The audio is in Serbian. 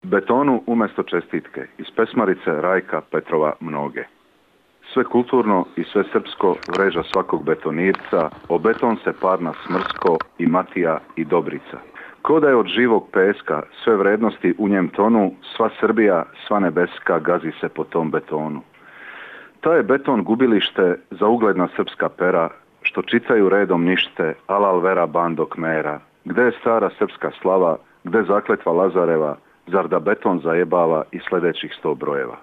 Betonu umjesto čestitke iz pesmarice Rajka Petrova Mnoge. Sve kulturno i sve srpsko vreža svakog betonirca, o beton se parna smrsko i Matija i Dobrica. Ko da je od živog peska sve vrednosti u njem tonu, sva Srbija, sva nebeska gazi se po tom betonu. Ta je beton gubilište za ugledna srpska pera, što čitaju redom nište, alal vera bando kmera. Gde je stara srpska slava, gde zakletva Lazareva, zar da beton zajebava i sljedećih 100 brojeva.